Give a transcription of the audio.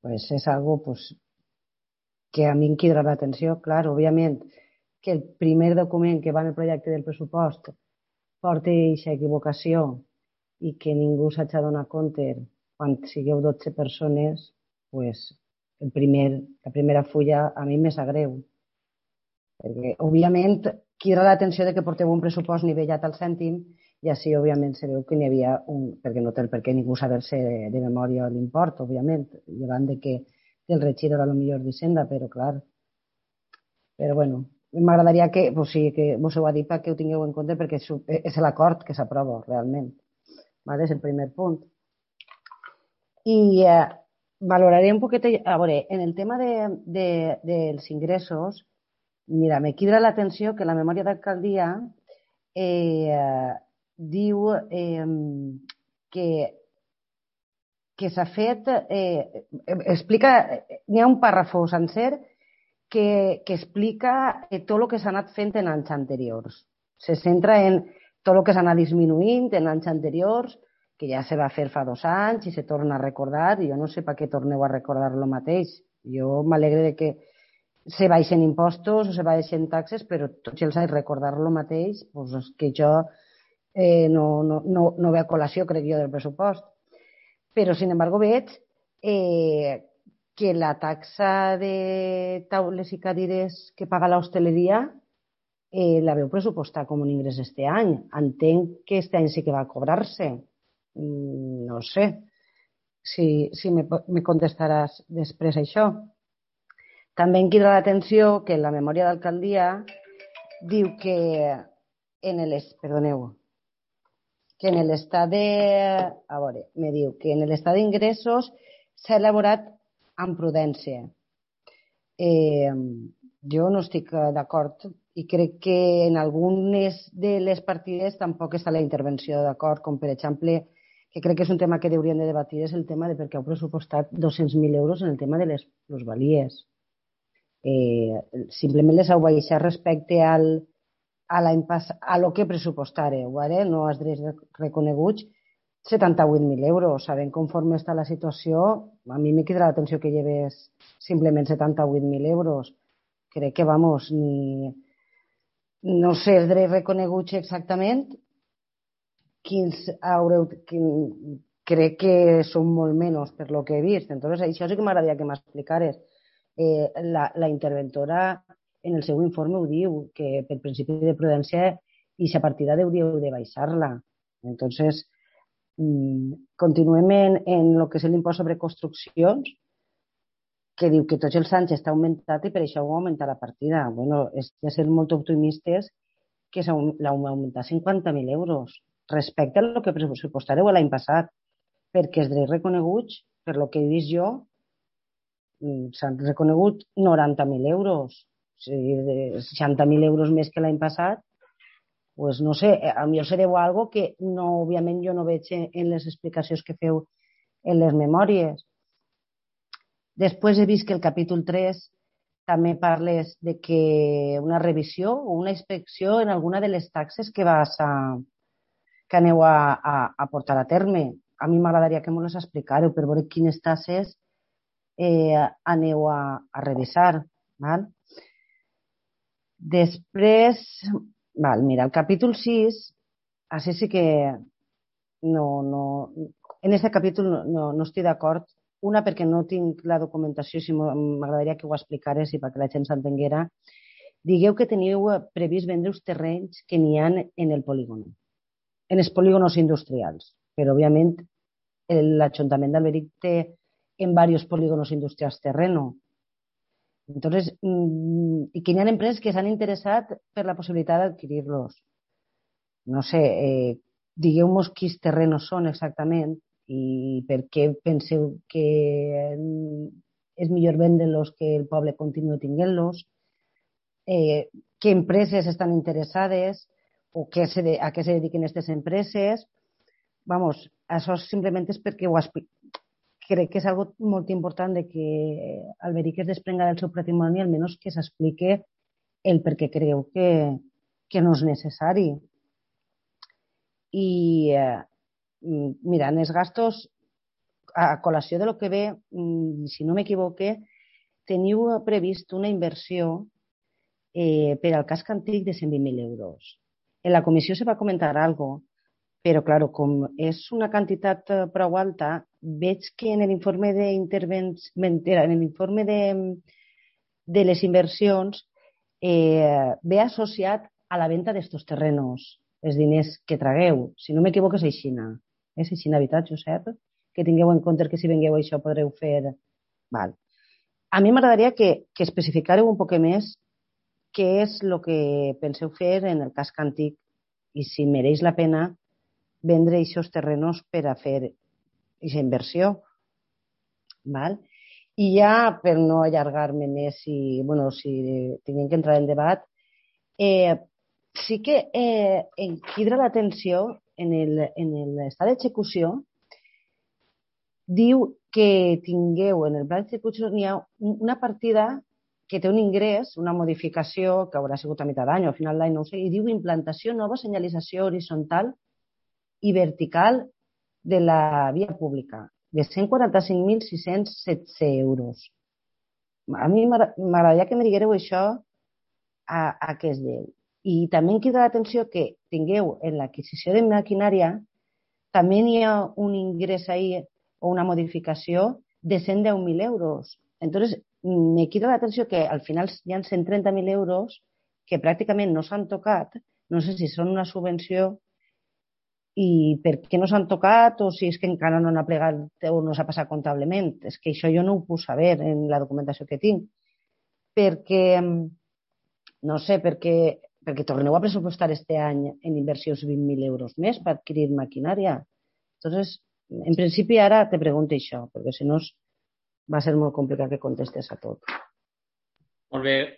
pues és algo pues, que a mi em crida l'atenció. Clar, òbviament, que el primer document que va en el projecte del pressupost porti aquesta equivocació i que ningú s'hagi de donar compte quan sigueu 12 persones, pues, la primera fulla a mi me sap greu. Perquè, òbviament, crida l'atenció de que porteu un pressupost nivellat al cèntim i així, òbviament, se veu que n'hi havia un... perquè no té per què ningú saber-se de memòria l'import, òbviament, llevant de que el regidor era el millor d'Hisenda, però clar, però bueno, m'agradaria que, pues sí, que vos ho ha dit perquè ho tingueu en compte perquè és l'acord que s'aprova realment. Vale? És el primer punt. I valoraré un poquet, a veure, en el tema dels ingressos, mira, me crida l'atenció que la memòria d'alcaldia diu que s'ha fet, explica, n'hi ha un pàrrafo sencer que explica tot el que s'ha anat fent en anys anteriors. Se centra en tot el que s'ha anat disminuint en anys anteriors, que ja se va fer fa 2 anys i se torna a recordar, i jo no sé per què torneu a recordar el mateix. Jo m'alegre de que se baixen impostos o se baixen taxes, però tots els anys recordar el mateix, doncs és que jo no ve a col·lació, crec jo, del pressupost. Però, sin embargo, veig que la taxa de taules i cadires que paga l'hostaleria la veu pressupostar com un ingrés este any. Entenc que este any sí que va a cobrar-se. No sé si me contestaràs després això. També em crida l'atenció que en la memòria d'alcaldia diu que que en l'estat me diu que en l'estat d'ingressos s'ha elaborat amb prudència. Jo no estic d'acord i crec que en algunes de les partides tampoc està la intervenció d'acord, com per exemple, que crec que és un tema que hauríem de debatir, és el tema de per què heu pressupostat 200.000 euros en el tema de les plusvalies. Simplement les heu baixat respecte a lo que pressupostareu, ¿vale? No has reconeguts 78.000 euros. Sabent conforme està la situació, a mi me crida l'atenció que lleves simplement 78.000 euros. Crec que, vamos, no sé els drets reconeguts exactament, crec que són molt menys per lo que he vist. Entonces, això sí que m'agradaria que m'explicares. La interventora en el seu informe ho diu, que per principi de prudència i a partida hauríeu de baixar-la. Entonces, continuem en el que és l'impost sobre construccions, que diu que tots els anys està augmentat i per això ho augmenta la partida. Bueno, és de ser molt optimistes que l'heu augmentat 50.000 euros respecte a lo que pressupostareu l'any passat, perquè els drets reconeguts, per lo que he vist jo, s'han reconegut 90.000 euros, o sigui, 60.000 euros més que l'any passat. Pues no sé, a mi se deu algo que no, òbviament jo no veig en les explicacions que feu en les memòries. Després he vist que el capítol 3 també parles de que una revisió o una inspecció en alguna de les taxes que aneu a portar a terme. A mi m'agradaria que m'ho les explicareu per veure quines taxes aneu a revisar. Val? Després, mira, el capítol 6, així sí que en aquest capítol no estic d'acord. Una, perquè no tinc la documentació, si m'agradaria que ho explicares i perquè la gent s'entenguera. Digueu que teniu previst vendre els terrenys que n'hi ha en el polígon, en els polígonos industrials, però òbviament l'Ajuntament d'Alberic té en diversos polígonos industrials terreno. Entonces, y que hi ha empreses que s'han interessat per la possibilitat d'adquirir-los. No sé, digueu-nos quins terrenos són exactament i per què penseu que és millor vendre-los que el poble continuï tinguent-los, què empreses estan interessades o a què se dediquen aquestes empreses. Vamos, això simplement és perquè ho crec que és algo molt important de que Alberic es desprenga del seu patrimoni, almenys que s'explique el per què creu que no és necessari. I mira, en els gastos a col·lació de lo que ve, si no m'equivoque, teniu previst una inversió per al casc antic de 120.000 euros. En la comissió se va comentar algo, però, clar, com és una quantitat prou alta, veig que en l'informe de les inversions ve associat a la venda d'estos terrenos, els diners que tragueu. Si no m'equivoco, és aixina. És aixina, veritat, Josep? Que tingueu en compte que si vengueu això podreu fer... Val. A mi m'agradaria que especificàreu un poc més què és el que penseu fer en el casc antic i si mereix la pena vendre aquests terrenos per a fer aquesta inversió. Val? I ja, per no allargar-me més, si tinguem que entrar en debat, sí que em crida l'atenció en l'estat d'execució, diu que tingueu en el pla d'execució n'hi ha una partida que té un ingrés, una modificació que haurà sigut a mitjà d'any o a final d'any, no ho sé, i diu implantació nova senyalització horitzontal i vertical de la via pública, de 145.616 euros. A mi m'agradaria que me diguéreu això a què es deu. I també em crida l'atenció que tingueu en l'adquisició de maquinària també n'hi ha un ingrés ahí o una modificació de 110.000 euros. Entonces, me crida l'atenció que al final hi ha 130.000 euros que pràcticament no s'han tocat, no sé si són una subvenció i per què no s'han tocat o si és que encara no han plegat o no s'ha passat comptablement. És que això jo no ho puc saber en la documentació que tinc. Perquè, no sé, perquè torneu a pressupostar este any en inversions 20.000 euros més per adquirir maquinària. Entonces, en principi ara te pregunto això, perquè si no va ser molt complicat que contestes a tot. Molt bé.